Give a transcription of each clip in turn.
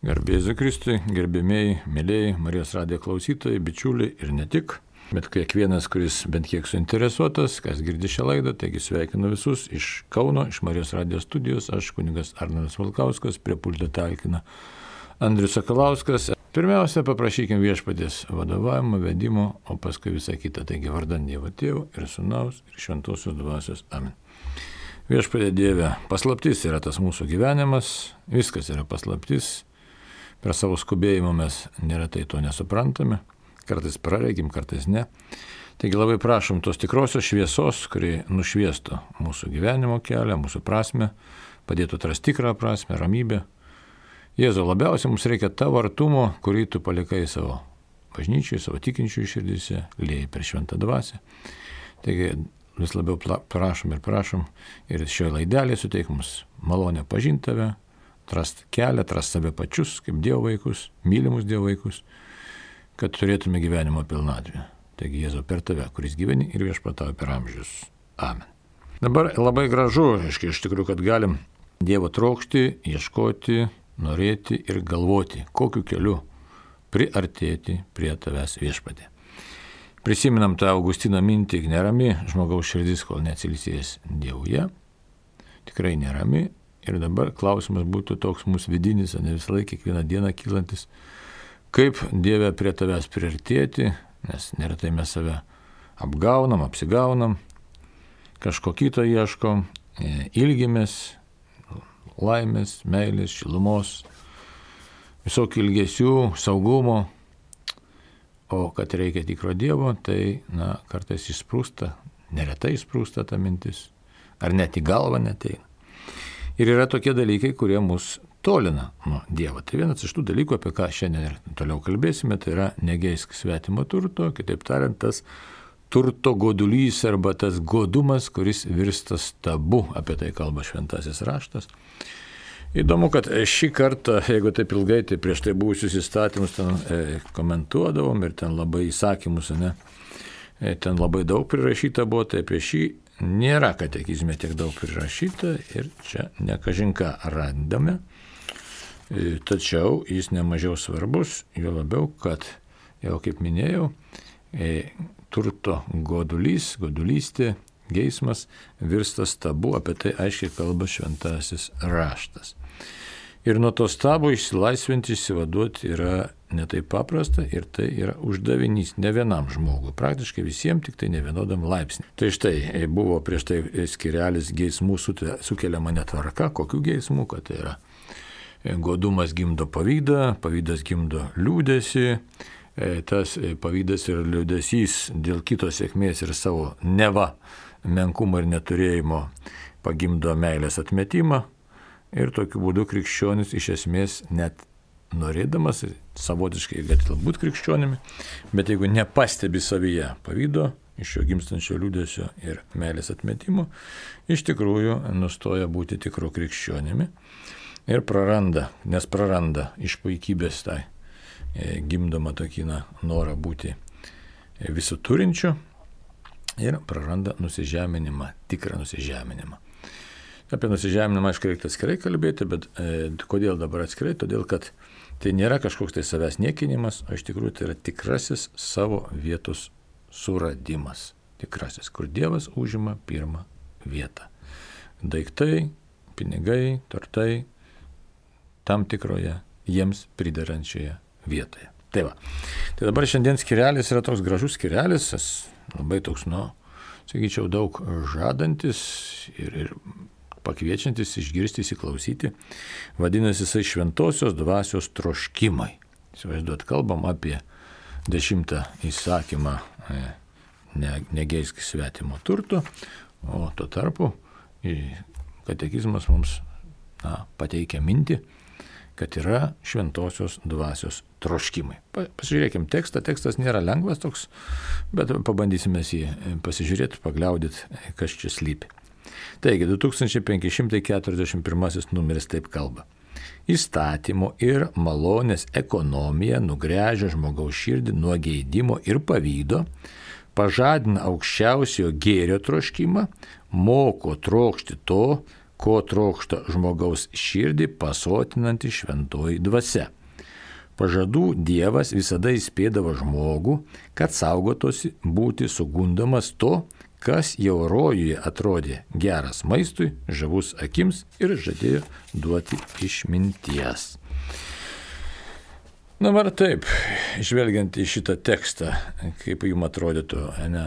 Garbė Jėzui Kristui, gerbėmiai, mėlyjei, Marijos radijo klausytojai, bičiuliai ir ne tik, bet kiekvienas, kuris bent kiek suinteresuotas, kas girdi šią laidą, taigi sveikinu visus iš Kauno, iš Marijos radijo studijos, aš kunigas Arnoldas Valkauskas, prie pulto talkina Andrius Sakalauskas. Pirmiausia, paprašykime Viešpaties vadovavimo, vedimo, o paskui visą kitą, taigi vardan Dievo Tėvo ir Sūnaus ir Šventosios Dvasios. Amen. Viešpatie Dieve, paslaptis yra tas mūsų gyvenimas, viskas yra paslaptis. Per savo skubėjimą mes neretai to nesuprantame, kartais praregim, kartais ne. Taigi labai prašom tos tikrosios šviesos, kuri nušviestų mūsų gyvenimo kelią, mūsų prasme, padėtų atrasti tikrą prasme, ramybę. Jėzau, labiausiai mums reikia tavo artumo, kurį tu palikai savo bažnyčiai, savo tikinčiųjų širdise, liejai per šventą dvasią. Taigi vis labiau prašom ir šioje laidelėje suteik mums malonę pažinti tave, atrast kelią, atrast save pačius, kaip Dievo vaikus, mylimus Dievo vaikus, kad turėtume gyvenimo pilnatvę. Taigi Jėzau, per tave, kuris gyveni ir viešpatauja per amžius. Amen. Dabar labai gražu, iš tikrųjų, kad galim Dievo trokšti, ieškoti, norėti ir galvoti, kokiu keliu priartėti prie tavęs viešpatė. Prisiminam tą Augustino mintį, nerami žmogaus širdis, kol neatsilisės Dievuje. Tikrai nerami. Ir dabar klausimas būtų toks mūsų vidinis, o ne visą laiką, kiekvieną dieną kylantis, kaip Dieve prie tavęs priartėti, nes neretai mes save apgaunam, apsigaunam, kažko kito ieškom, ilgimės, laimės, meilės, šilumos, visokių ilgesių, saugumo, o kad reikia tikro Dievo, tai kartais išsprūsta, neretai išsprūsta ta mintis, ar net į galvą neteina. Ir yra tokie dalykai, kurie mus tolina nuo Dievo. Tai vienas iš tų dalykų, apie ką šiandien ir toliau kalbėsime, tai yra negeisk svetimo turto, kitaip tariant, tas turto godulys arba tas godumas, kuris virsta stabu, apie tai kalba šventasis raštas. Įdomu, kad šį kartą, jeigu taip ilgai, tai prieš tai buvusius įstatymus ten komentuodavom ir ten labai įsakymus, ten labai daug prirašyta buvo, tai apie šį nėra katekizme tiek daug prirašyta ir čia nekažinką randame, tačiau jis nemažiau svarbus, jo labiau, kad jau kaip minėjau, turto godulystė, geismas virsta stabu, apie tai aiškiai kalba šventasis raštas. Ir nuo to stabo išsilaisvinti, išsivaduoti yra netai paprasta ir tai yra uždavinys ne vienam žmogui, praktiškai visiems, tik tai ne vienodam laipsniui. Tai štai buvo prieš tai skirelis geismų sukeliama netvarka, kokių geismų, kad tai yra godumas gimdo pavydą, pavydas gimdo liūdesį, tas pavydas ir liūdesys dėl kito sėkmės ir savo neva menkumo ir neturėjimo pagimdo meilės atmetimą. Ir tokiu būdu krikščionis iš esmės net norėdamas, savotiškai gali būti krikščionimi, bet jeigu nepastebi savyje pavydo, iš jo gimstančio liūdesio ir meilės atmetimo, iš tikrųjų nustoja būti tikru krikščionimi ir praranda iš puikybės tai gimdomą tokį norą būti visų turinčiu ir praranda nusižeminimą, tikrą nusižeminimą. Apie nusižeminimą, aišku, reikia atskirai kalbėti, bet kodėl dabar atskirai? Todėl, kad tai nėra kažkoks tai savęs niekinimas, o iš tikrųjų tai yra tikrasis savo vietos suradimas. Tikrasis, kur Dievas užima pirmą vietą. Daiktai, pinigai, turtai, tam tikroje jiems pridarančioje vietoje. Tai va. Tai dabar šiandien skirelis yra toks gražus skirelis, labai toks, sakyčiau, daug žadantis ir pakviečiantis išgirsti, įsiklausyti, vadinasi jisai šventosios dvasios troškimai. Įsivaizduot, kalbam apie 10 įsakymą negeisk svetimo turto, o tuo tarpu katekizmas mums pateikia mintį, kad yra šventosios dvasios troškimai. Pasižiūrėkim tekstą, tekstas nėra lengvas toks, bet pabandysime jį pasižiūrėti, pagliaudyti, kas čia slypi. Taigi, 2541 numeris taip kalba. Įstatymo ir malonės ekonomija nugręžia žmogaus širdį nuo geidimo ir pavydo, pažadina aukščiausiojo gėrio troškimą, moko trokšti to, ko trokšta žmogaus širdį pasotinanti šventoji dvasia. Pažadų Dievas visada įspėdavo žmogų, kad saugotosi būti sugundomas to, kas jau rojuje atrodė geras maistui, žavus akims ir žadėjo duoti išminties. Dabar taip, žvelgiant į šitą tekstą, kaip jums atrodytų, ne,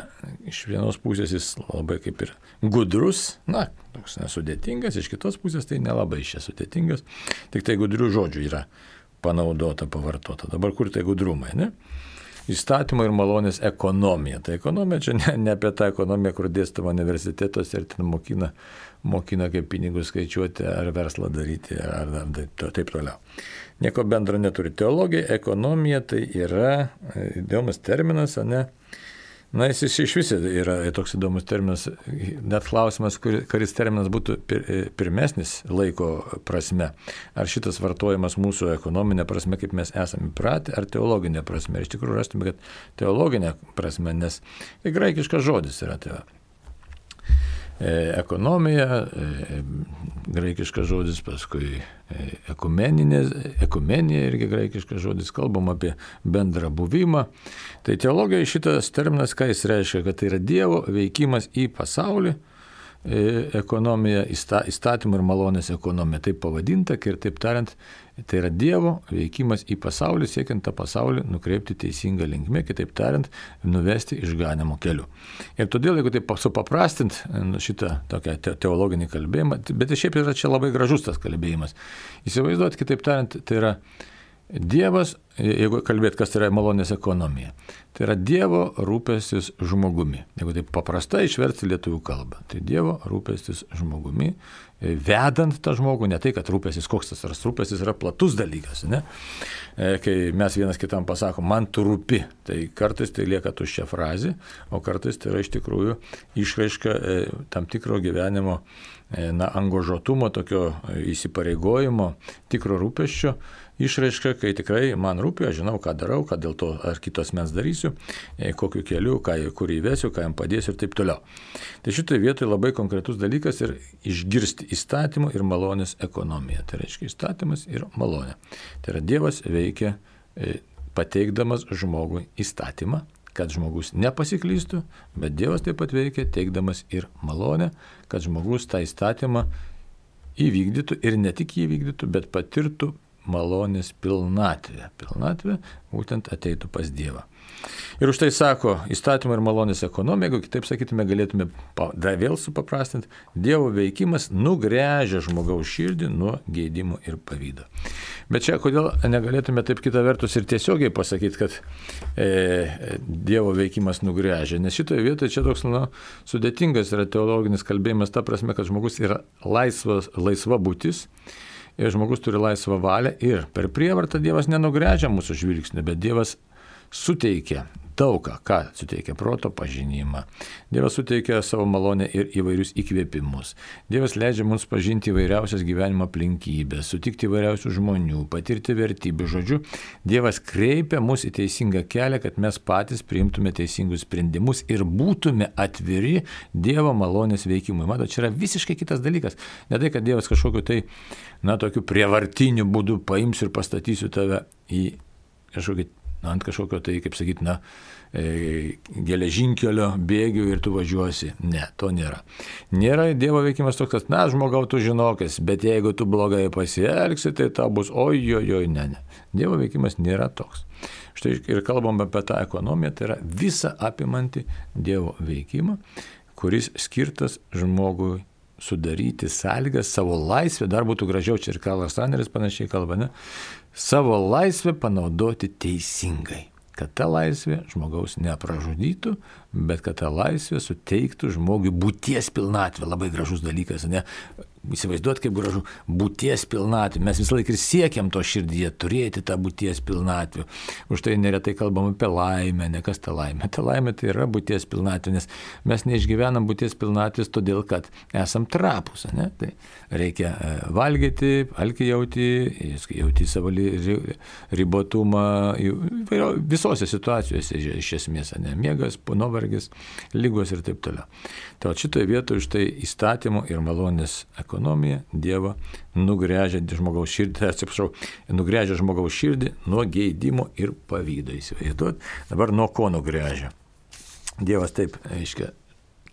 iš vienos pusės jis labai kaip ir gudrus, toks nesudėtingas, iš kitos pusės tai nelabai sudėtingas, tik tai gudrių žodžių yra panaudota, pavartota. Dabar kur tai gudrumai, ne? Įstatymo ir malonės ekonomija. Tai ekonomija čia ne apie tą ekonomiją, kur dėstama universitetuose ir ten mokina kaip pinigus skaičiuoti ar verslą daryti ar taip toliau. Nieko bendro neturi. Teologija, ekonomija tai yra įdomus terminas, ne? Jis iš viso yra toks įdomus terminas, net klausimas, kuris terminas būtų pirmesnis laiko prasme. Ar šitas vartojamas mūsų ekonominė prasme, kaip mes esame įpratę, ar teologinė prasme. Ir iš tikrųjų rastume, kad teologinė prasme, nes graikiškas žodis yra tai. Ekonomija, graikiškas žodis, paskui ekumenija irgi graikiškas žodis, kalbam apie bendrą buvimą. Tai teologija šitas terminas, ką jis reiškia, kad tai yra Dievo veikimas į pasaulį, ekonomija, įstatymų ir malonės ekonomija, taip pavadinta, ir taip tariant, tai yra Dievo veikimas į pasaulį, siekiant tą pasaulį nukreipti teisingą linkmę, kitaip tariant, nuvesti išganymo keliu. Ir todėl, jeigu taip supaprastint šitą tokią teologinį kalbėjimą, bet šiaip yra čia labai gražus tas kalbėjimas. Įsivaizduot, kitaip tariant, tai yra Dievas, jeigu kalbėt, kas yra malonės ekonomija, tai yra Dievo rūpestis žmogumi. Jeigu taip paprastai išversti lietuvių kalbą, tai Dievo rūpestis žmogumi, vedant tą žmogų, ne tai, kad rūpestis, koks tas rūpestis yra platus dalykas, ne? Kai mes vienas kitam pasakom, man tu rūpi, tai kartais tai lieka tuščia frazė, o kartais tai yra iš tikrųjų išraiška tam tikro gyvenimo angažuotumo, tokio įsipareigojimo, tikro rūpesčio išraiška, kai tikrai man rūpi, aš žinau, ką darau, ką dėl to ar kitos mens darysiu, kokiu keliu, kur įvesiu, ką jam padėsiu ir taip toliau. Tai šitoje vietoje labai konkretus dalykas ir išgirsti įstatymų ir malonės ekonomiją. Tai reiškia įstatymas ir malonė. Tai yra Dievas veikia pateikdamas žmogui įstatymą, kad žmogus nepasiklystų, bet Dievas taip pat veikia teikdamas ir malonę, kad žmogus tą įstatymą įvykdytų ir ne tik įvykdytų, bet patirtų malonės pilnatvė. Pilnatvė būtent ateitų pas Dievą. Ir už tai sako, įstatymų ir malonės ekonomija, jeigu kitaip sakytume, galėtume vėl supaprastinti, Dievo veikimas nugręžia žmogaus širdį nuo geidimų ir pavydo. Bet čia kodėl negalėtume taip kita vertus ir tiesiogiai pasakyti, kad Dievo veikimas nugręžia, nes šitoje vietoje čia toks sudėtingas yra teologinis kalbėjimas, ta prasme, kad žmogus yra laisva būtis, ir žmogus turi laisvą valią ir per prievartą Dievas nenugręžia mūsų žvilgsnį, bet Dievas suteikia daugą, ką suteikia proto pažinimą. Dievas suteikia savo malonę ir įvairius įkvėpimus. Dievas leidžia mums pažinti įvairiausias gyvenimo aplinkybės, sutikti įvairiausių žmonių, patirti vertybių. Žodžiu, Dievas kreipia mus į teisingą kelią, kad mes patys priimtume teisingus sprendimus ir būtume atviri Dievo malonės veikimui. Matot, čia yra visiškai kitas dalykas. Ne tai, kad Dievas kažkokiu tai, tokiu prievartiniu būdu paims ir pastatysiu tave į kažkokį ant kažkokio tai, kaip sakyti, geležinkelio bėgių ir tu važiuosi. Ne, to nėra. Nėra Dievo veikimas toks, kad, žmogau, tu žinokis, bet jeigu tu blogai pasielgsi, tai tau bus ojojoj, ne. Dievo veikimas nėra toks. Štai ir kalbam apie tą ekonomiją, tai yra visa apimanti Dievo veikimą, kuris skirtas žmogui sudaryti sąlygas, savo laisvę, dar būtų gražiau, čia ir Karlas Raneris panašiai kalba, ne? Savo laisvę panaudoti teisingai, kad ta laisvė žmogaus nepražudytų, bet kad ta laisvė suteiktų žmogui būties pilnatvę. Labai gražus dalykas, ne? Įsivaizduot, kaip gražu būties pilnatvė. Mes visą laiką ir siekiam to širdyje turėti tą būties pilnatvę. Už tai neretai kalbam apie laimę, ne kas ta laimė. Ta laimė tai yra būties pilnatvė, nes mes neišgyvenam būties pilnatvės todėl, kad esam trapus, ne? Tai reikia valgyti, alkį jauti savo ribotumą visose situacijose iš esmės, ne? Miegas, nuovargis, nuovargis, lygos ir taip toliau. Tai šitoje vietoje štai įstatymo ir malonės ekonomija Dievo nugręžia žmogaus širdį nuo geidimo ir pavydo. Įsivaizduot, dabar nuo ko nugręžia? Dievas taip, aiškiai,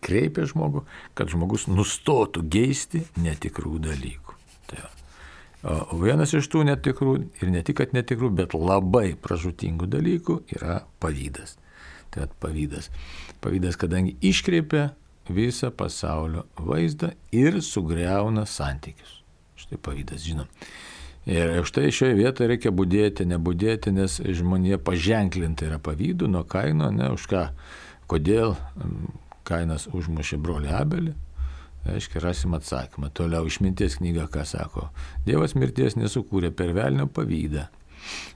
kreipia žmogų, kad žmogus nustotų geisti netikrų dalykų. Tai o vienas iš tų netikrų, ir ne tik, kad netikrų, bet labai pražūtingų dalykų yra pavydas. Tai pavydas. Pavydas, kadangi iškreipia visą pasaulio vaizdą ir sugriauna santykius. Štai pavydas, žinom. Ir štai šioje vietoje reikia budėti, nebudėti, nes žmonija paženklinta yra pavydu nuo Kaino, ne už ką, kodėl Kainas užmušė brolį Abelį, aiškiai, rasim atsakymą. Toliau išminties knyga, ką sako. Dievas mirties nesukūrė, per velnio pavydą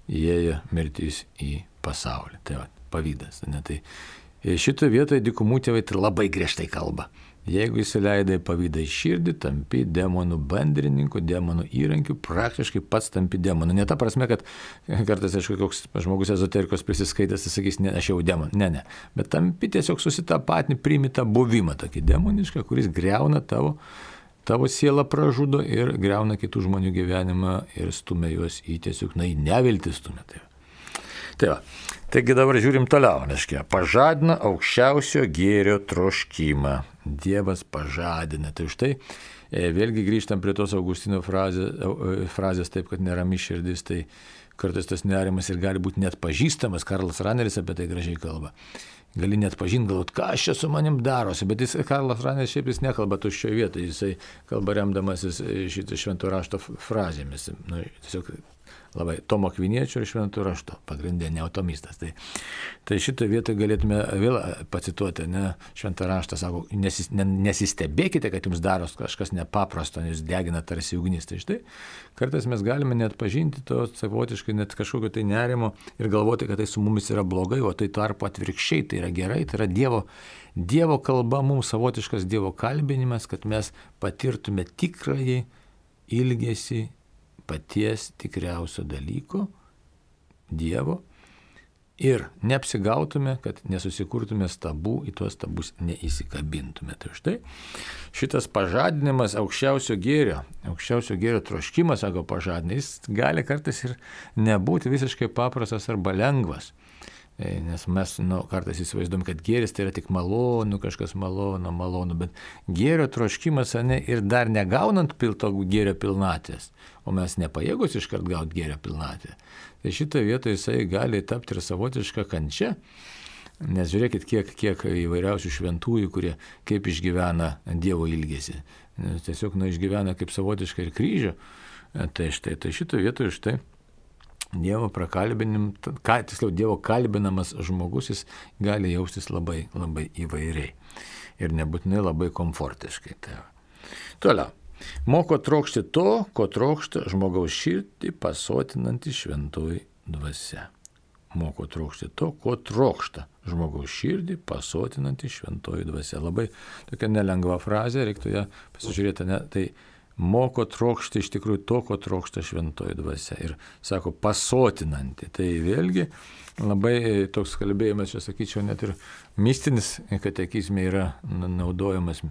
įėjo mirtis į pasaulį. Tai va, pavydas. Ne? Tai šitoje vietoje dykumų tėvai tai labai griežtai kalba. Jeigu įsileidai pavydą į širdį, tampi demonų bandrininku, demonų įrankiu, praktiškai pats tampi demonu. Ne ta prasme, kad kartais, aišku, koks žmogus ezoterikos prisiskaitęs, jis sakys, ne, aš jau demon. Ne. Bet tampi tiesiog susitapatini, priimi tą buvimą tokį demonišką, kuris greuna tavo sielą, pražudo ir greuna kitų žmonių gyvenimą ir stumia juos į tiesiog, į neviltį stumia. Tai va. Taigi dabar žiūrim toliau, reiškia, pažadina aukščiausio gėrio troškimą. Dievas pažadina. Tai štai, vėlgi grįžtam prie tos Augustino frazės taip, kad nerami širdis, tai kartais tas nerimas ir gali būti net pažįstamas. Karlas Raneris apie tai gražiai kalba. Gali net pažinti, galvot, ką čia su manim darosi, bet Karlas Raneris šiaip jis nekalba tuščioje vietoje, jisai kalba remdamasis šitą švento rašto frazėmis. Tiesiog labai Tomo Akviniečio ir švento rašto, pagrindė neotomistas. Tai šitoje vietoje galėtume vėl pacituoti, šventą raštą sako, nesistebėkite, kad jums daros kažkas nepaprasto, nes degina tarsi ugnis. Tai štai, kartais mes galime net pažinti to savotiškai, net kažkokio tai nerimo ir galvoti, kad tai su mumis yra blogai, o tai tarpu atvirkščiai, tai yra gerai, tai yra Dievo kalba, mums savotiškas Dievo kalbinimas, kad mes patirtume tikrąjį ilgesį paties tikriausio dalyko, Dievo, ir neapsigautume, kad nesusikurtume stabų, į tuos stabus neįsikabintume. Tai štai šitas pažadinimas aukščiausio gėrio troškimas, sako pažadinimas, jis gali kartais ir nebūti visiškai paprastas arba lengvas. Nes mes kartais įsivaizduom, kad gėris tai yra tik malonu, kažkas malonu, bet gėrio troškimas ir dar negaunant to gėrio pilnatės, o mes nepajėgus iškart gauti gėrio pilnatę, tai šitoje vietoje jisai gali tapti ir savotišką kančią, nes žiūrėkit, kiek įvairiausių šventųjų, kurie kaip išgyvena Dievo ilgesį, nes tiesiog išgyvena kaip savotišką ir kryžių, tai šitoje vietoje štai Dievo Dievo kalbinamas žmogus, jis gali jaustis labai, labai įvairiai ir nebūtinai labai komfortiškai. Toliau. Moko trokšti to, ko trokšta žmogaus širdį pasotinanti šventoji dvasia. Moko trokšti to, ko trokšta žmogaus širdį pasotinanti šventoji dvasia. Labai tokia nelengva frazė, reiktų ją pasižiūrėti, tai moko trokšti iš tikrųjų to, ko trokšta šventoji dvasia. Ir sako, pasotinanti. Tai vėlgi labai toks kalbėjimas, čia sakyčiau, net ir mistinis katekizme yra naudojamas.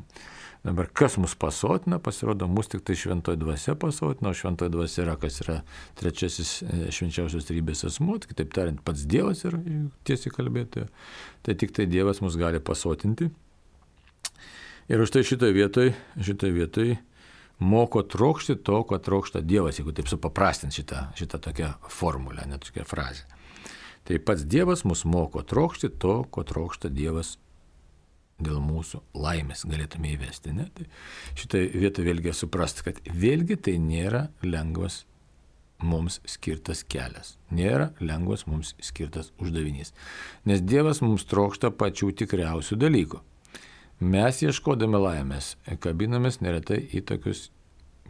Dabar kas mus pasotina, pasirodo, mus tik tai šventoji dvasia pasotina, o šventoji dvasia yra, kas yra trečiasis švenčiausios trejybės asmuo, kitaip tariant, pats Dievas yra tiesiai kalbėtojo. Tai tik tai Dievas mus gali pasotinti. Ir už tai šitoje vietoje moko trokšti to, ko trokšta Dievas, jeigu taip supaprastint šitą tokią formulę, net tokią frazę. Tai pats Dievas mus moko trokšti to, ko trokšta Dievas dėl mūsų laimės, galėtume įvesti. Ne? Tai šitoje vietoje vėlgi suprasti, kad vėlgi tai nėra lengvas mums skirtas kelias, nėra lengvas mums skirtas uždavinys. Nes Dievas mums trokšta pačių tikriausių dalykų. Mes ieškodami laimės kabinamės neretai į tokius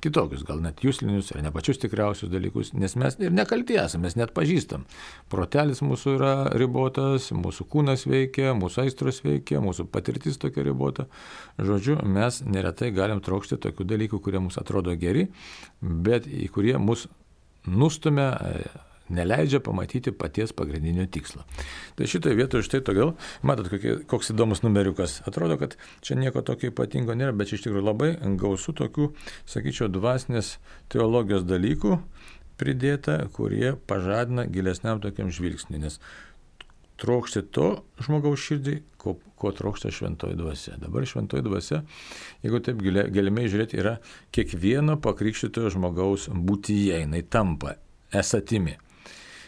kitokius, gal net jūslinius ar ne pačius tikriausius dalykus, nes mes ir nekalti esame, mes net pažįstam. Protelis mūsų yra ribotas, mūsų kūnas veikia, mūsų aistros veikia, mūsų patirtis tokia ribota. Žodžiu, mes neretai galim trokšti tokių dalykų, kurie mums atrodo geri, bet į kurie mus nustumia, neleidžia pamatyti paties pagrindinio tikslo. Tai šitoje vietoje štai todėl, matot, koks įdomus numeriukas. Atrodo, kad čia nieko tokio ypatingo nėra, bet iš tikrųjų labai gausu tokių, sakyčiau, dvasinės teologijos dalykų pridėta, kurie pažadina gilesniam tokiam žvilgsniui, nes trokšti to žmogaus širdį, ko trokšta šventoji dvasia. Dabar šventoji dvasia, jeigu taip gilimiai žiūrėti, yra kiekvieno pakrikštytojo žmogaus būtyje, jinai tampa esatimi.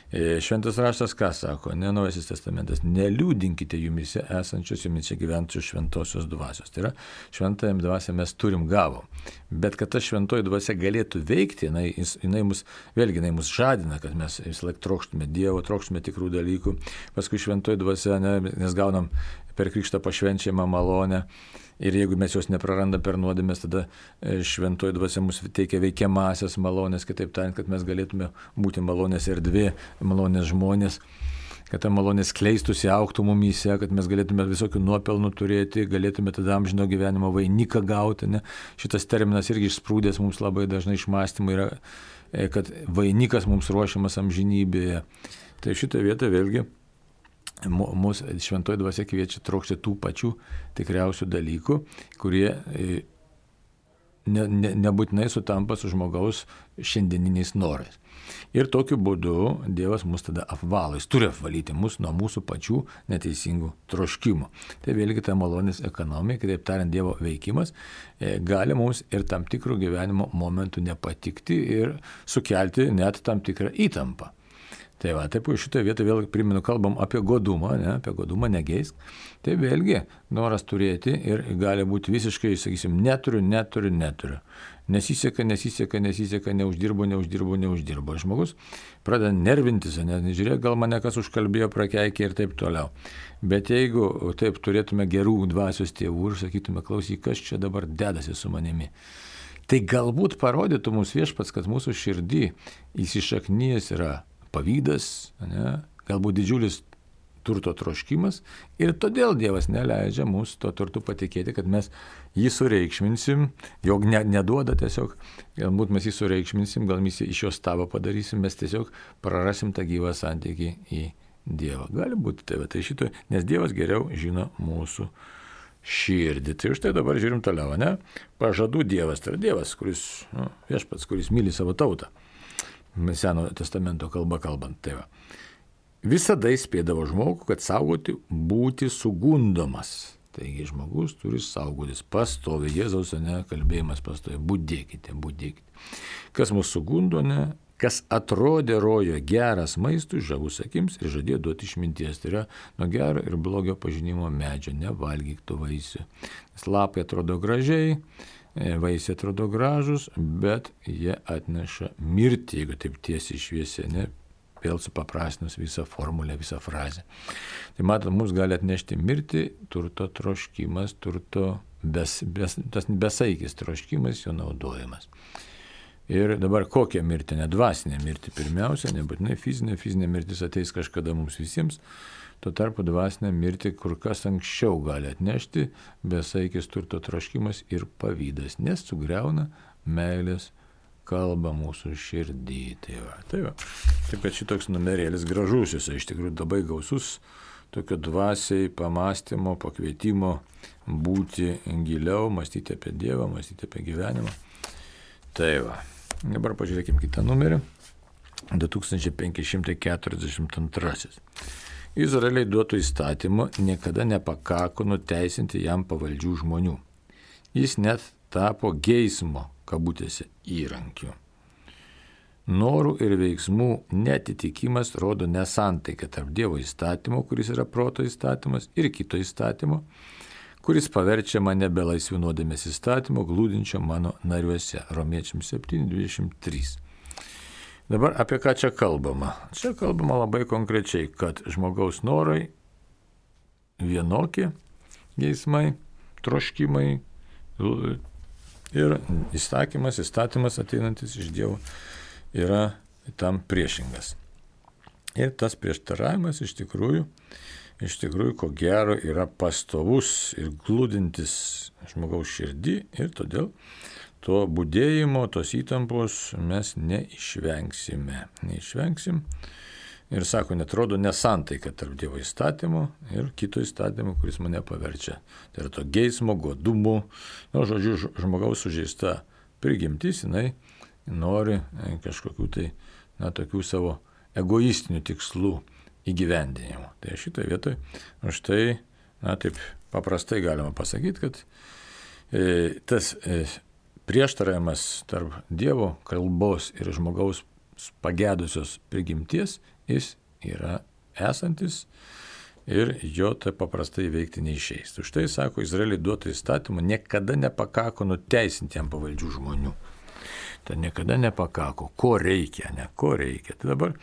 Šventas raštas ką sako? Naujasis testamentas. Neliūdinkite jumise esančios, jumise gyvenčios šventosios dvasios. Tai yra, šventąją dvasią mes turim gavom. Bet kad ta šventoji dvasia galėtų veikti, jinai mus žadina, kad mes vis laik trokštume Dievo, trokštume tikrų dalykų. Paskui šventoji dvasia, nes gaunam per krikštą pašvenčiamą malonę. Ir jeigu mes jos neprarandam per nuodėmes, tada šventoji dvasia mums teikia veikiamasias malonės, kitaip tariant, kad mes galėtume būti malonės erdvė, malonės žmonės, kad ta malonės kleistųsi, augtų mumyse, kad mes galėtume visokių nuopelnų turėti, galėtume tada amžino gyvenimo vainiką gauti. Ne? Šitas terminas irgi išsprūdęs mums labai dažnai iš mąstymų yra, kad vainikas mums ruošiamas amžinybėje. Tai šitoje vietoje vėlgi mūsų šventoji dvasia kviečia trokšti tų pačių tikriausių dalykų, kurie nebūtinai sutampa su žmogaus šiandieniniais norais. Ir tokiu būdu Dievas mus tada apvalo, jis turi apvalyti mus nuo mūsų pačių neteisingų troškimų. Tai vėlgi ta malonės ekonomija, kitaip tariant, Dievo veikimas gali mums ir tam tikrų gyvenimo momentų nepatikti ir sukelti net tam tikrą įtampą. Tai va, taip šitoje vietoje vėl primenu, kalbam apie godumą, apie godumą negeisk. Tai vėlgi noras turėti ir gali būti visiškai, sakysim, neturiu. Nesiseka, neuždirbo. Žmogus pradeda nervintis, nežiūrėk, gal mane kas užkalbėjo, prakeikė ir taip toliau. Bet jeigu taip turėtume gerų dvasios tėvų ir sakytume, klausyk, kas čia dabar dedasi su manimi, tai galbūt parodytų mums Viešpats, kad mūsų širdį įsišaknyjęs yra pavydas, galbūt didžiulis turto troškimas ir todėl Dievas neleidžia mums to turtu patikėti, kad mes jį sureikšminsim, jog neduoda tiesiog, galbūt mes jį sureikšminsim, gal mes iš jo stabą padarysim, mes tiesiog prarasim tą gyvą santykį į Dievą. Gali būti tai šito, nes Dievas geriau žino mūsų širdį. Tai štai dabar žiūrim toliau, Pažadų Dievas, tai yra Dievas, kuris, Viešpats, kuris myli savo tautą. Senojo testamento kalba kalbant. Tai va. Visada įspėdavo žmogų, kad saugoti būti sugundomas. Taigi žmogus turi saugotis pastovi. Jėzaus kalbėjimas pastovi. Budėkite. Kas mūsų sugundo, kas atrodė rojo geras maistui, žavus akims ir žadėjo duoti išminties. Tai yra nuo gero ir blogio pažinimo medžio. Nevalgyk tų vaisių. Nes lapai atrodo gražiai, vaisiai atrodo gražus, bet jie atneša mirtį, jeigu taip tiesiai šviesiai, vėl supaprastinus visą formulę, visą frazę. Tai matot, mums gali atnešti mirtį, turto troškimas, tas besaikis troškimas, jo naudojimas. Ir dabar kokią mirtį? Dvasinė mirtį pirmiausia, nebūtinai fizinė mirtis ateis kažkada mums visiems. Tuo tarpu dvasinę mirtį kur kas anksčiau gali atnešti besaikis turto troškimas ir pavydas, nes sugriauna meilės kalba mūsų širdį. Tai va. Taip, kad šitoks numerėlis gražus, jis iš tikrųjų labai gausus, tokio dvasiai pamąstymo, pakvietimo būti giliau, mąstyti apie Dievą, mąstyti apie gyvenimą. Tai va. Dabar pažiūrėkime kitą numerį. 2542. Izraeliai duotų įstatymu niekada nepakako nuteisinti jam pavaldžių žmonių. Jis net tapo geismo, kabutėse, įrankiu. Norų ir veiksmų netitikimas rodo nesantaiką tarp Dievo įstatymo, kuris yra proto įstatymas, ir kito įstatymo, kuris paverčia mane belaisvių nuodėmės įstatymo, glūdinčio mano nariuose. Romiečiams 7:23. Dabar apie ką čia kalbama? Čia kalbama labai konkrečiai, kad žmogaus norai vienokie, geismai, troškimai ir įstatymas ateinantis iš Dievo yra tam priešingas. Ir tas prieštaravimas iš tikrųjų, ko gero, yra pastovus ir glūdintis žmogaus širdį ir todėl to būdėjimo, tos įtampos mes neišvengsime. Ir sako, netrodo nesantaika tarp Dievo įstatymo ir kito įstatymo, kuris mane paverčia. Tai yra to geismo, godumo, žodžiu, žmogaus sužeista prigimtis, jinai nori kažkokių tai, tokių savo egoistinių tikslų įgyvendinimo. Tai šitoje vietoje, štai, taip paprastai galima pasakyti, kad tas prieštaravimas tarp Dievo kalbos ir žmogaus pagedusios prigimties, jis yra esantis ir jo tai paprastai veikti neišeis. Už tai, sako, Izraeliui duotą įstatymą niekada nepakako nuteisinti jam pavaldžių žmonių. Tai niekada nepakako. Ko reikia, ko reikia. Tai dabar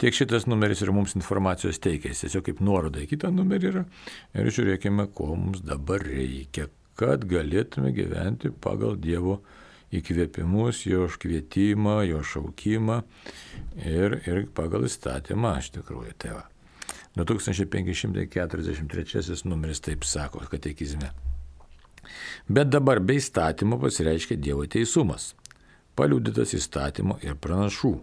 tiek šitas numeris ir mums informacijos teikia. Jis tiesiog kaip nuoroda į kitą numerį yra. Ir žiūrėkime, ko mums dabar reikia, kad galėtume gyventi pagal Dievo įkvėpimus, jo kvietimą, jo šaukimą ir pagal įstatymą, iš tikrųjų. Tai va. 2543 numeris taip sako katekizme. Bet dabar be įstatymo pasireiškia Dievo teisumas, paliudytas įstatymo ir pranašų.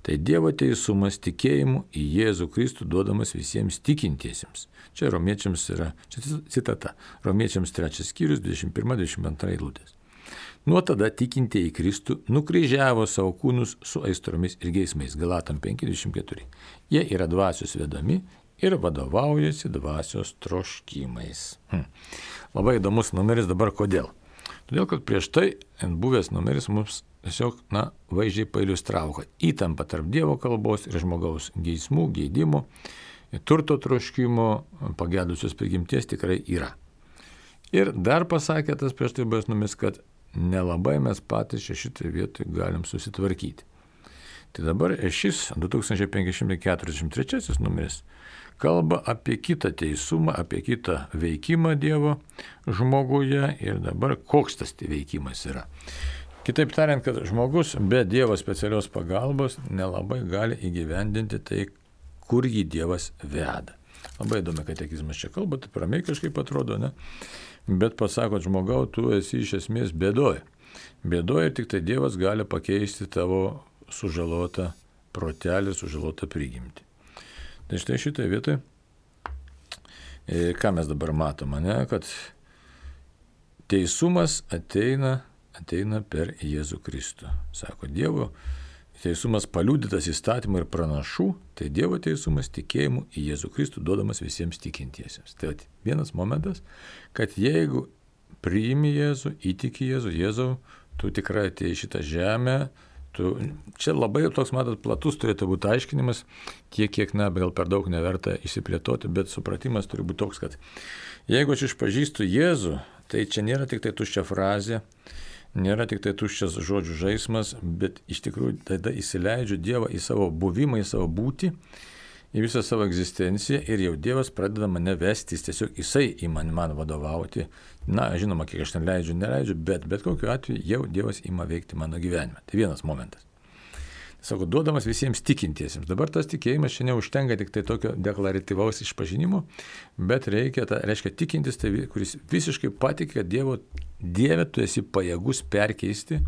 Tai Dievo teisumas tikėjimu į Jėzų Kristų duodamas visiems tikintiesiems. Čia romiečiams yra, čia citata, romiečiams 3 skyrius, 21-22 eilutės. Nuo tada tikintieji Kristų nukryžiavo savo kūnus su aistromis ir geismais. Galatam 5:24. Jie yra dvasios vedami ir vadovaujasi dvasios troškimais. Labai įdomus numeris dabar kodėl? Todėl, kad prieš tai buvęs numeris mums tiesiog, vaizdžiai pailiustravo, kad įtampa tarp Dievo kalbos ir žmogaus geismų, geidimų, turto troškimo, pagedusios prigimties tikrai yra. Ir dar pasakė tas prieš tai buvęs numeris, kad nelabai mes patys šitoje vietoje galim susitvarkyti. Tai dabar šis 2543 numeris kalba apie kitą teisumą, apie kitą veikimą Dievo žmoguje ir dabar koks tas veikimas yra. Kitaip tariant, kad žmogus be Dievo specialios pagalbos nelabai gali įgyvendinti tai, kur jį Dievas veda. Labai įdomi katekizmas čia kalba, tai ramiai kažkaip atrodo, ne? Bet pasakot, žmogau, tu esi iš esmės bėdoje. Bėdoje tik tai Dievas gali pakeisti tavo sužalotą protelį, sužalotą prigimtį. Tai štai šitoje vietoje, ką mes dabar matome, kad teisumas ateina per Jėzų Kristų. Sako, Dievo teisumas paliudytas įstatymų ir pranašų, tai Dievo teisumas tikėjimu į Jėzų Kristų duodamas visiems tikintiesiems. Tai vienas momentas, kad jeigu priimi Jėzų, įtiki Jėzau, tu tikrai atėjai į šitą žemę, čia labai toks, matot, platus turėtų būti aiškinimas, tiek, kiek, gal per daug neverta išsiplėtoti, bet supratimas turi būti toks, kad jeigu aš išpažįstu Jėzų, tai čia nėra tik tai tuščia frazė, nėra tik tai tuščias žodžių žaismas, bet iš tikrųjų tada įsileidžiu Dievą į savo buvimą, į savo būtį, į visą savo egzistenciją ir jau Dievas pradeda mane vestis, tiesiog jisai į man vadovauti. Žinoma, kiek aš ten neleidžiu, bet kokiu atveju jau Dievas ima veikti mano gyvenime. Tai vienas momentas. Sako, duodamas visiems tikintiesiems. Dabar tas tikėjimas čia neužtenka tik tai tokio deklaratyvaus išpažinimo, bet reiškia tikintis, tai kuris visiškai patikė, kad Dieve tu esi pajėgus perkeisti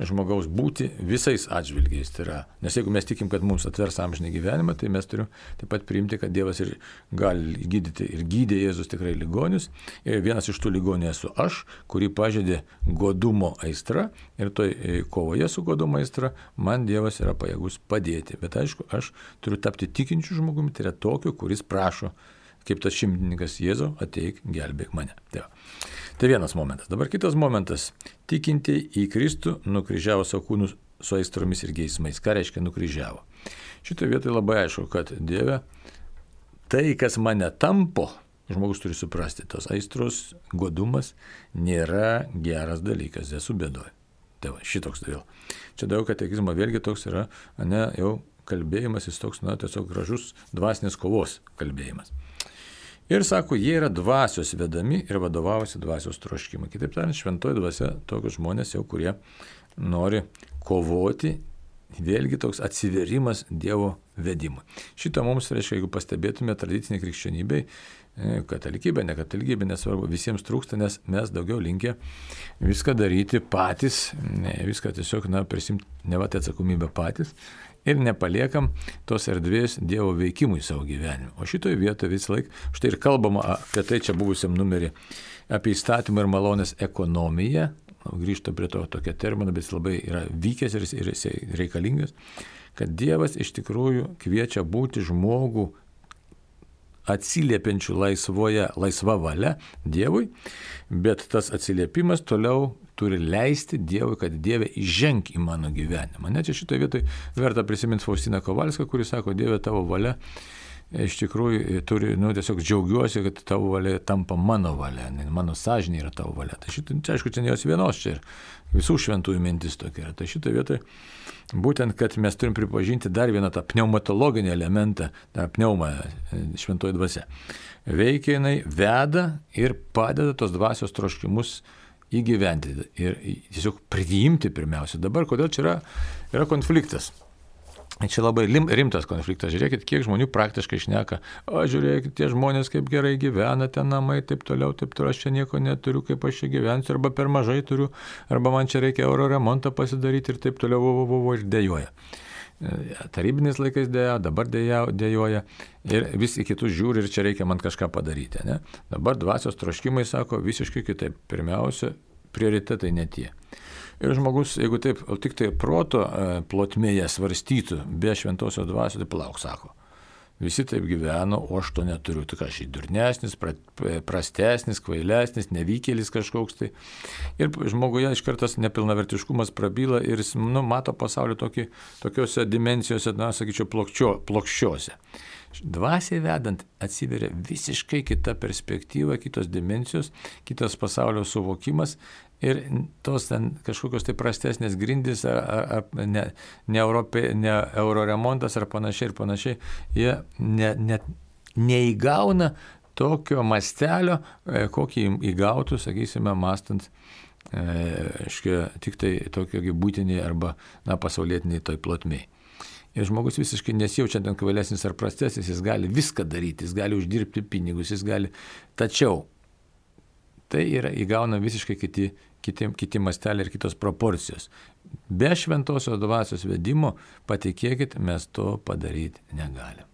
žmogaus būti visais atžvilgiais. Tai yra, nes jeigu mes tikim, kad mums atvers amžinį gyvenimą, tai mes turim taip pat priimti, kad Dievas ir gali gydyti ir gydė Jėzus tikrai ligonius. Ir vienas iš tų ligonių esu aš, kurį pažeidė godumo aistra ir toj kovoje su godumo aistra man Dievas yra pajėgus padėti. Bet aišku, aš turiu tapti tikinčiu žmogumi, tai yra tokiu, kuris prašo, kaip tas šimtininkas Jėzau, ateik, gelbėk mane. Tai vienas momentas. Dabar kitas momentas. Tikintieji į Kristų nukryžiavo savo kūnus su aistromis ir geismais. Ką reiškia nukryžiavo? Šitoje vietoje labai aišku, kad Dieve, tai, kas mane tampo, žmogus turi suprasti, tos aistros, godumas nėra geras dalykas, esu bėdoje. Tai va, šitoks vėl. Čia daug katekizmo vėlgi toks yra, jau kalbėjimas, jis toks, tiesiog gražus dvasinės kovos kalbėjimas. Ir sako, jie yra dvasios vedami ir vadovaujasi dvasios troškimai. Kitaip tariant, šventoji dvasia tokius žmonės jau, kurie nori kovoti, vėlgi toks atsiverimas Dievo vedimui. Šitą mums, reiškia, jeigu pastebėtume tradicinė krikščionybė, katalikybė, ne katalikybė, nesvarbu, visiems trūksta, nes mes daugiau linkę viską daryti patys, viską tiesiog, prisimti nevatę atsakomybę patys ir nepaliekam tos erdvės Dievo veikimui savo gyvenime. O šitoje vietoje vis laik, štai ir kalbama apie tai čia buvusiam numerį, apie įstatymą ir malonės ekonomiją, grįžta prie to tokio termino, bet jis labai yra vykęs ir jis reikalingas, kad Dievas iš tikrųjų kviečia būti žmogų atsiliepiančių laisva valia Dievui, bet tas atsiliepimas toliau turi leisti Dievui, kad Dieve įženk į mano gyvenimą. Net čia šitoje vietoje verta prisiminti Faustiną Kovalską, kuris sako, Dieve, tavo valia iš tikrųjų turi, tiesiog džiaugiuosi, kad tavo valia tampa mano valia, mano sąžinė yra tavo valia. Tai šitą, čia aišku, čia ne jos vienos, čia ir visų šventųjų mintis tokia yra. Tai šitoje vietoje būtent, kad mes turim pripažinti dar vieną tą pneumatologinį elementą, tą pneumą šventoji dvasia. Veikia jinai, veda ir padeda tos dvasios troškimus įgyventi ir tiesiog priimti pirmiausia. Dabar, kodėl čia yra konfliktas? Čia labai rimtas konfliktas. Žiūrėkit, kiek žmonių praktiškai šneka. Žiūrėkit, tie žmonės kaip gerai gyvena, ten namai, taip toliau, aš čia nieko neturiu, kaip aš čia gyvensiu, arba per mažai turiu, arba man čia reikia euro remontą pasidaryti ir taip toliau, ir dėjoja. Tarybiniais laikais dėjo, dabar dėjoja ir vis į kitus žiūri ir čia reikia man kažką padaryti. Ne? Dabar dvasios troškimai sako visiškai kitaip. Pirmiausia, prioritetai ne tie. Ir žmogus, jeigu taip tik tai proto plotmėje svarstytų, be šventosios dvasios, tai palauk, sako. Visi taip gyveno, o aš to neturiu. Tik aš durnesnis, prastesnis, kvailesnis, nevykėlis kažkoks tai. Ir žmoguje iš kartas nepilnavertiškumas prabyla ir jis mato pasaulį tokiuose dimensijose, sakyčiau, plokščiuose. Dvasiai vedant atsiveria visiškai kita perspektyva, kitos dimensijos, kitas pasaulio suvokimas ir tos ten kažkokios tai prastesnės grindys ar ne euro remontas ar panašiai, jie neįgauna tokio mastelio, kokį įgautų, sakysime, mastant tik tai tokio būtiniai arba pasaulietiniai toj plotmėj. Ir žmogus visiškai nesijaučia ten kvailesnis ar prastesnis, jis gali viską daryti, jis gali uždirbti pinigus, jis gali. Tačiau tai įgauna visiškai kiti masteliai ir kitos proporcijos. Be šventosios dvasios vedimo, patikėkit, mes to padaryti negalim.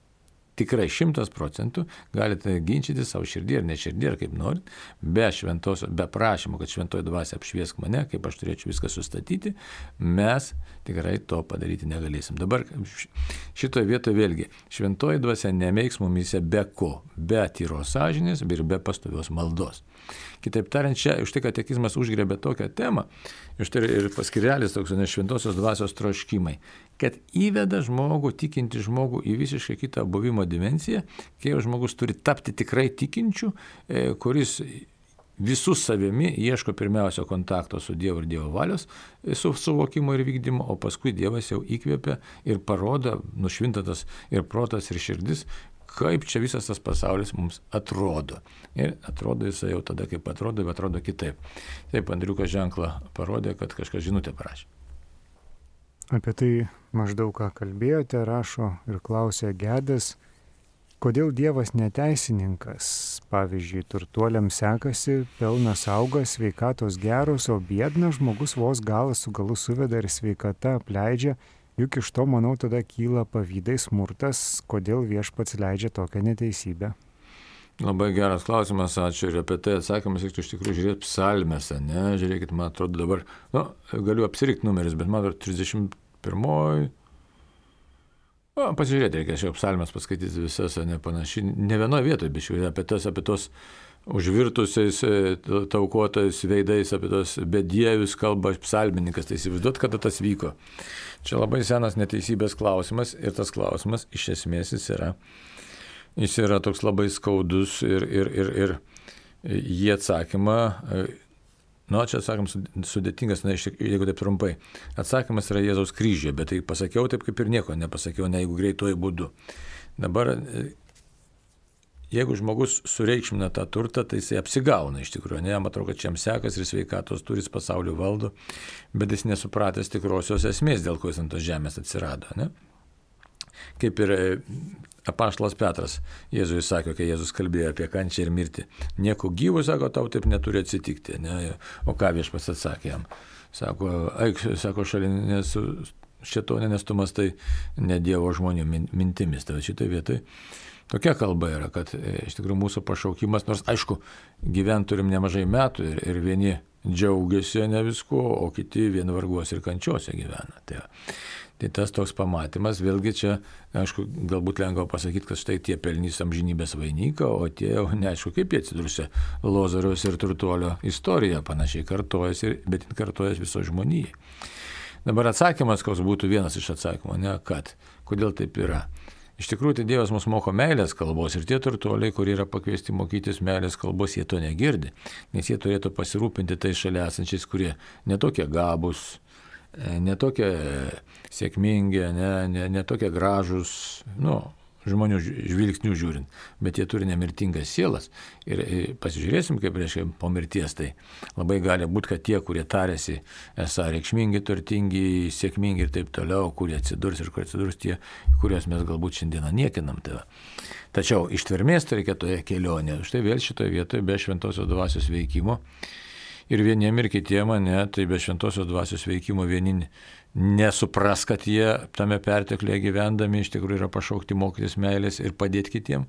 Tikrai 100% galite ginčyti savo širdį ar ne širdį, ar kaip norit, be prašymo, kad šventoji dvasia apšviesk mane, kaip aš turėčiau viską sustatyti, mes tikrai to padaryti negalėsim. Dabar šitoje vietoje vėlgi, šventoji dvasia nemeiks mumyse be ko, be tyros sąžinės ir be pastovios maldos. Kitaip tariant, čia už tai katekizmas užgrebė tokią temą, už tai ir paskirelis toks šventosios dvasios troškimai, kad įveda žmogų, tikinti žmogų į visiškai kitą buvimo dimensiją, kai žmogus turi tapti tikrai tikinčiu, kuris visų savimi ieško pirmiausia kontakto su Dievu ir Dievo valios suvokimo ir vykdymo, o paskui Dievas jau įkvėpia ir parodo, nušvintatas ir protas ir širdis, kaip čia visas tas pasaulis mums atrodo. Ir atrodo jisai jau tada, kaip atrodo, bet atrodo kitaip. Taip, Andriukas ženklą parodė, kad kažkas žinutę parašė. Apie tai maždaug ką kalbėjote, rašo ir klausė Gedas, kodėl Dievas neteisininkas? Pavyzdžiui, turtuoliams sekasi, pelnas auga, sveikatos geros, o biednas žmogus vos galas su galu suveda ir sveikata apleidžia. Juk iš to, manau, tada kyla pavydai, smurtas, kodėl viešpats leidžia tokią neteisybę. Labai geras klausimas, ačiū. Ir apie tai atsakymas, reiktų iš tikrųjų žiūrėti psalmėse, ne? Žiūrėkit, man atrodo dabar, galiu apsirikti numeris, bet man atrodo 31. Pasižiūrėti, reikia šią psalmės paskaityti visas, ne panašiai, ne vienoje vietoje, bet apie tos užvirtusiais, taukotais veidais, apie tos bedievius kalba psalmininkas, tai įsivaizduot, kada tas vyko. Čia labai senas neteisybės klausimas ir tas klausimas iš esmės jis yra toks labai skaudus ir jį atsakymą, čia atsakymas sudėtingas, jeigu taip trumpai. Atsakymas yra Jėzaus kryžiuje, bet tai pasakiau taip, kaip ir nieko nepasakiau, jeigu greituoju būdu. Dabar, jeigu žmogus sureikšmina tą turtą, tai jisai apsigauna iš tikrųjų. Jam atrodo, kad čia jam sekas ir sveikatos turi, pasaulio valdo, bet jis nesupratęs tikrosios esmės, dėl ko jis ant tos žemės atsirado. Ne? Kaip ir apaštalas Petras Jėzui sakė, kai Jėzus kalbėjo apie kančią ir mirtį. Nieko gyvo, sako, tau taip neturi atsitikti. Ne? O ką Viešpats atsakė jam? Sako, eik, sako, šalinės šėtonė, nes tu mąstai ne Dievo žmonių mintimis. Tai šitoj vietoj tokia kalba yra, kad iš tikrųjų mūsų pašaukimas, nors aišku, gyvent turim nemažai metų ir vieni džiaugiasi ne visko, o kiti vien varguos ir kančiose gyvena. Tai tas toks pamatymas, vėlgi čia, aišku, galbūt lengva pasakyti, kad štai tie pelnys amžinybės vainiką, o tie jau neaišku, kaip jie atsidursia Lozoriaus ir turtuolio istorija, panašiai kartojasi, bet kartojasi viso žmonijai. Dabar atsakymas, koks būtų vienas iš atsakymų, ne, kad, kodėl taip yra. Iš tikrųjų, tai Dievas mus moko meilės kalbos ir tie turtuoliai, kurie yra pakviesti mokytis meilės kalbos, jie to negirdi, nes jie turėtų pasirūpinti tai šalia esančiais, kurie netokie gabūs, netokie sėkmingi, netokie gražus, žmonių žvilgsnių žiūrint, bet jie turi nemirtingas sielas. Ir pasižiūrėsim, kaip reiškia po mirties, tai labai gali būti, kad tie, kurie tarėsi esą reikšmingi, turtingi, sėkmingi ir taip toliau, kurie atsidurs ir kur atsidurs tie, kuriuos mes galbūt šiandieną niekinam. Tačiau ištvermės tai reikia toje kelionėje. Štai vėl šitoje vietoje be šventosios dvasios veikimo. Ir vieniem ir kitiem, tai be šventosios dvasios veikimo vieni nesupras, kad jie tame perteklėje gyvendami iš tikrųjų yra pašaukti mokytis meilės ir padėti kitiem,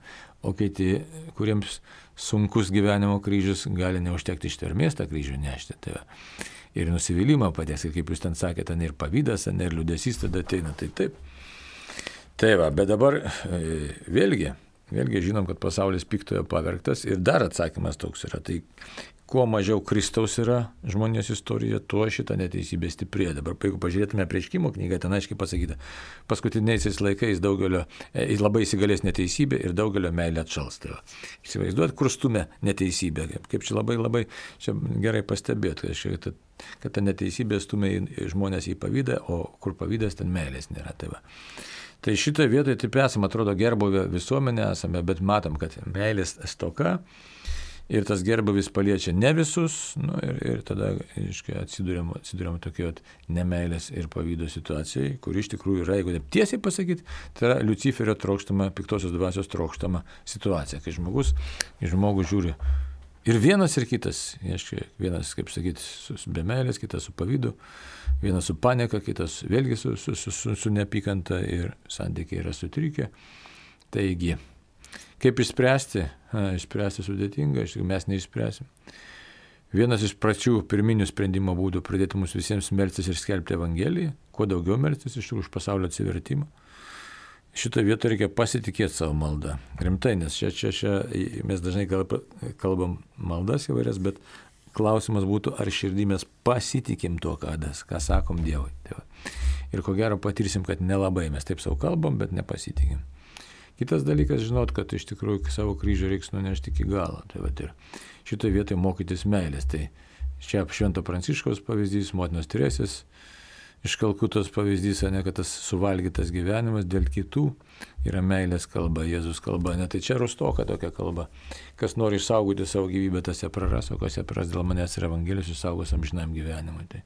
o kiti, kuriems sunkus gyvenimo kryžius, gali neužtekti ištvermės tą kryžių nešti. Ir nusivylimą padės, kaip jūs ten sakėte, ir pavydas, ir liūdesys tada ateina, tai taip. Tai va, bet dabar vėlgi žinom, kad pasaulis piktojo pavergtas ir dar atsakymas toks yra. Tai kuo mažiau Kristaus yra žmonijos istorija, tuo šitą neteisybę stiprėja. Dabar, jeigu pažiūrėtume Apreiškimo knygą, ten aiškiai pasakyta, paskutiniaisiais laikais daugelio labai įsigalės neteisybė ir daugelio meilė atšals. Įsivaizduot, kur stumia neteisybė. Kaip čia labai čia gerai pastebėt, kad ta neteisybė stumia žmonės į pavydą, o kur pavydas, ten meilės nėra. Tai šitoje vietoje taip esame, atrodo, gerbuvę visuomenę esame, bet matom, kad meilės stoka. Ir tas gerbuvis paliečia ne visus, ir tada atsiduriam tokio nemeilės ir pavydo situacijai, kur iš tikrųjų yra, jeigu taip tiesiai pasakyti, tai yra Liuciferio trokštama, piktosios dvasios trokštama situacija, kai žmogus į žmogų žiūri ir vienas ir kitas, vienas, kaip sakyti, be meilės, kitas su pavydu, vienas su panieka, kitas vėlgi su neapykanta ir santykiai yra sutrikę. Taigi, kaip išspręsti? Išspręsti sudėtinga, mes neišspręsim. Vienas iš pačių pirminių sprendimo būdų pradėti mus visiems melstis ir skelbti Evangeliją, kuo daugiau melstis iš pasaulio atsivertimą. Šitą vietą reikia pasitikėti savo maldą. Rimtai, nes čia mes dažnai kalbam maldas įvairias, bet klausimas būtų, ar širdį mes pasitikim tuo, ką sakom Dievui. Ir ko gero patirsim, kad nelabai mes taip savo kalbam, bet nepasitikim. Kitas dalykas, žinot, kad iš tikrųjų savo kryžių reiks nunešti iki galo. Ir šitoje vietoje mokytis meilės. Tai čia Švento Pranciškaus pavyzdys, motinos Teresės iš Kalkutos pavyzdys, kad tas suvalgytas gyvenimas dėl kitų yra meilės kalba, Jėzus kalba. Tai čia rustoka tokia kalba. Kas nori išsaugoti savo gyvybę, tas ją praras, o kas ją praras dėl manęs ir Evangelijos išsaugos amžinam gyvenimui. Tai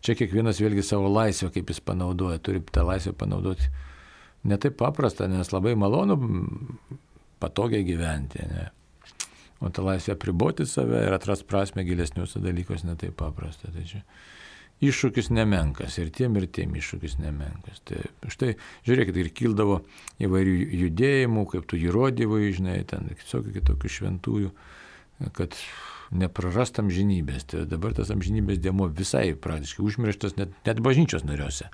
čia kiekvienas vėlgi savo laisvę, kaip jis panaudoja, turi tą laisvę panaudoti. Ne taip paprasta, nes labai malonu patogiai gyventi. Ne? O tą laisvę apriboti save ir atrasti prasme gilesniuose dalykuose ne taip paprasta. Tai čia iššūkis nemenkas ir tiem iššūkis nemenkas. Tai štai, žiūrėkit, ir kildavo įvairių judėjimų, kaip tu įrodymai, ten kitokių šventųjų, kad neprarast amžinybės. Tai dabar tas amžinybės dėmuo visai praktiškai užmirštas net bažnyčios nariuose.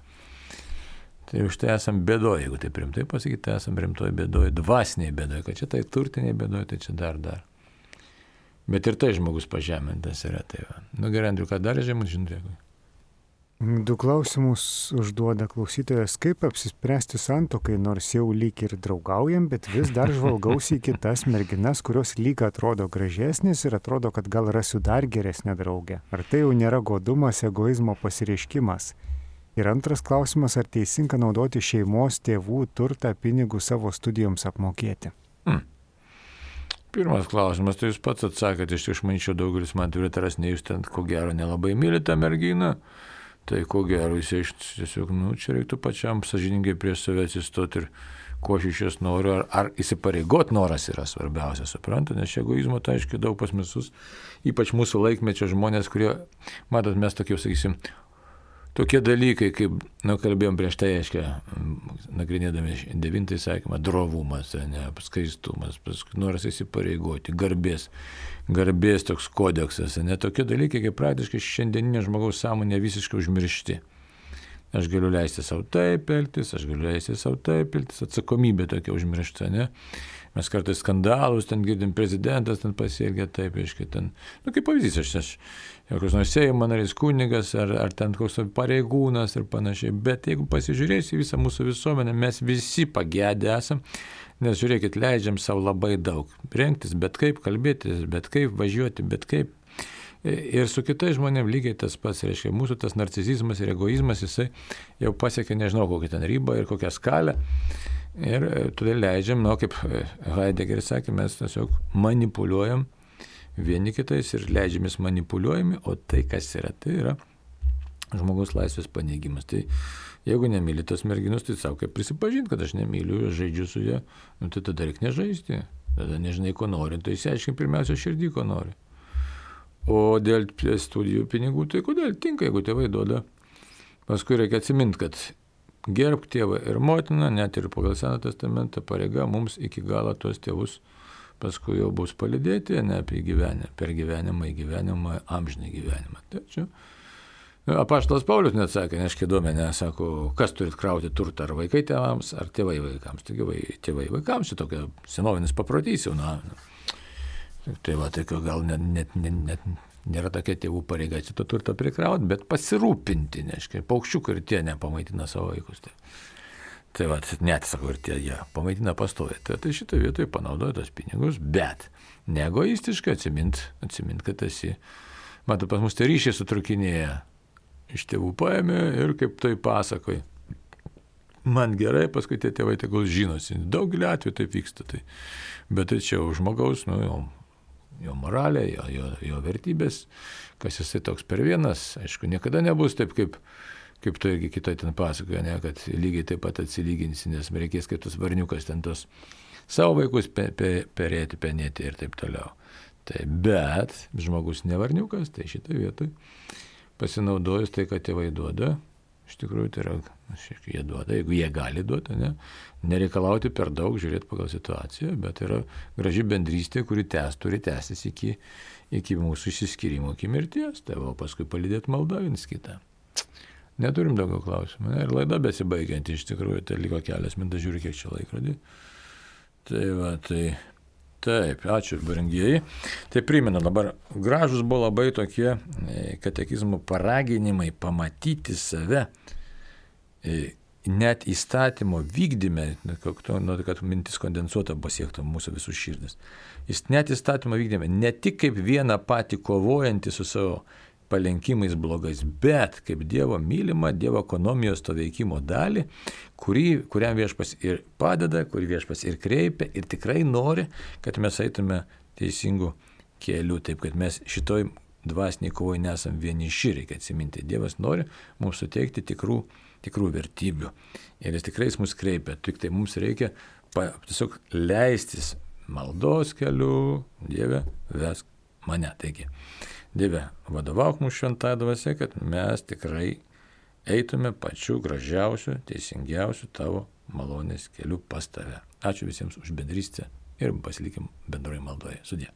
Tai už tai esam bėdoje, jeigu taip rimtai pasakyti, tai esam rimtoje bėdoje, dvasiniai bėdoje, kad čia tai turtiniai bėdoje, tai čia dar. Bet ir tai žmogus pažemintas yra. Tai gerai, Andriu, ką dar žemus žinutėkui? 2 klausimus užduoda klausytojas, kaip apsispręsti santuokai, nors jau lyg ir draugaujam, bet vis dar žvalgausi į kitas merginas, kurios lyg atrodo gražesnės ir atrodo, kad gal rasiu dar geresnę draugę. Ar tai jau nėra godumas, egoizmo pasireiškimas? Ir antras klausimas, ar teisinga naudoti šeimos tėvų turtą pinigus savo studijoms apmokėti? Pirmas klausimas, tai jūs pats atsakėte, aš manyčiau, daugelis man turi taras, ne jūs ten, ko gero, nelabai myli tą merginą, Tai ko gero, jis tiesiog, čia reiktų pačiam sąžiningai prieš save atsistoti ir ko aš iš jos noriu, ar įsipareigot noras yra svarbiausia, supranta, nes egoizmo tai aiškiai daug pas visus, ypač mūsų laikmečio žmonės, kurie, matot, mes tokie, sakysim, tokie dalykai, kaip, kalbėjom prieš tai, aiškiai, nagrinėdami 9 įsakymą, drovumas, skaistumas, noras įsipareigoti, garbės toks kodeksas, tokie dalykai, kaip praktiškai šiandieninė žmogaus sąmonė visiškai užmiršti. Aš galiu leisti savo taip elgtis, atsakomybė tokia užmiršta, ne? Mes kartais skandalus, ten girdim, prezidentas ten pasielgia taip, aiškiai, ten, kaip pavyzdys, aš koks nors Seimo narys kunigas, ar ten koks pareigūnas ir panašiai, bet jeigu pasižiūrėsi visą mūsų visuomenę, mes visi pagėdę esam, nes žiūrėkit, leidžiam savo labai daug rengtis, bet kaip kalbėtis, bet kaip važiuoti, bet kaip. Ir su kitais žmonėmis lygiai tas pats, reiškia, mūsų tas narcisizmas ir egoizmas, jisai jau pasiekė nežinau kokią ten ribą ir kokią skalę. Ir todėl leidžiam, kaip Heideggeris sakė, mes tiesiog manipuliuojam vieni kitais ir leidžiamės manipuliuojami, o tai kas yra, tai yra žmogaus laisvės paneigimas. Tai jeigu nemyli tos merginos, tai savo kaip prisipažinti, kad aš nemyliu, aš žaidžiu su ja, tai tada reikia nežaisti, tada nežinai, ko nori, tai išsiaiškink pirmiausia širdį, ko nori. O dėl studijų pinigų, tai kodėl tinka, jeigu tėvai duoda. Paskui reikia atsiminti, kad gerbk tėvą ir motiną, net ir pagal Seną testamentą pareiga mums iki galo tuos tėvus paskui jau bus palydėti, ne apie gyvenimą, per gyvenimą į gyvenimą, amžinį gyvenimą. Tačiau apaštalas Paulius net sakė, neškai duomenė, sako, kas turit krauti turtą, ar vaikai tėvams, ar tėvai vaikams. Taigi tėvai vaikams, čia tokia senovinis paprotys jau, Tai gal net nėra tokia tėvų pareiga šitą turtą prikrauti, bet pasirūpinti, neškai, paukščiukai ir tie nepamaitina savo vaikus. Net, sakau, ir tie jie pamaitina pastoviai. Tai šitą vietoje panaudoja tos pinigus, bet neegoistiškai atsimint, kad esi, matai, pas mus tai ryšiai sutrukinėja, iš tėvų paėmė ir kaip tai pasakoja. Man gerai, paskui tie tėvai tegul žinosi. Daugelį atvejų taip vyksta. Bet tai čia žmogaus, jo moralė, jo vertybės, kas jisai toks per vienas, aišku, niekada nebus taip, kaip tu irgi kitoj ten pasakoja, kad lygiai taip pat atsilyginsi, nes reikės kaip tas varniukas ten tos savo vaikus perėti, penėti ir taip toliau. Bet žmogus ne varniukas, tai šitą vietoj pasinaudojus tai, kad tėvai duoda, iš tikrųjų tai yra, jie duoda, jeigu jie gali duoti, nereikalauti per daug, žiūrėti pagal situaciją, bet yra graži bendrystė, kuri turi tęstis iki mūsų išsiskyrimo, iki mirties, o paskui palydėti maldą viens kitą. Neturim daugiau klausimų, ir laida besibaigianti, iš tikrųjų, tai liko kelias minutės, žiūri, kiek čia laikrodį. Taip, ačiū, brangieji. Tai primenu, dabar gražus buvo labai tokie katekizmo paraginimai pamatyti save net įstatymo vykdyme, kad mintis kondensuota pasiektų mūsų visų širdis. Jis net įstatymo vykdyme, ne tik kaip vieną patį kovojantį su savo palenkimais blogais, bet kaip Dievo mylimą, Dievo ekonomijos to veikimo dalį, kuriam Viešpats ir padeda, kurį Viešpats ir kreipia ir tikrai nori, kad mes eitume teisingų kelių, taip kad mes šitoj dvasiniai kovoj nesam vieniši, reikia atsiminti. Dievas nori mums suteikti tikrų vertybių ir jis tikrai mus kreipia, tik tai mums reikia tiesiog leistis maldos keliu, Dieve, vesk mane. Taigi, Dieve, vadovauk mūsų šventąja dvasia, kad mes tikrai eitume pačiu gražiausiu, teisingiausiu tavo malonės keliu pas tave. Ačiū visiems už bendrystę ir pasilikim bendroje maldoje. Sudie.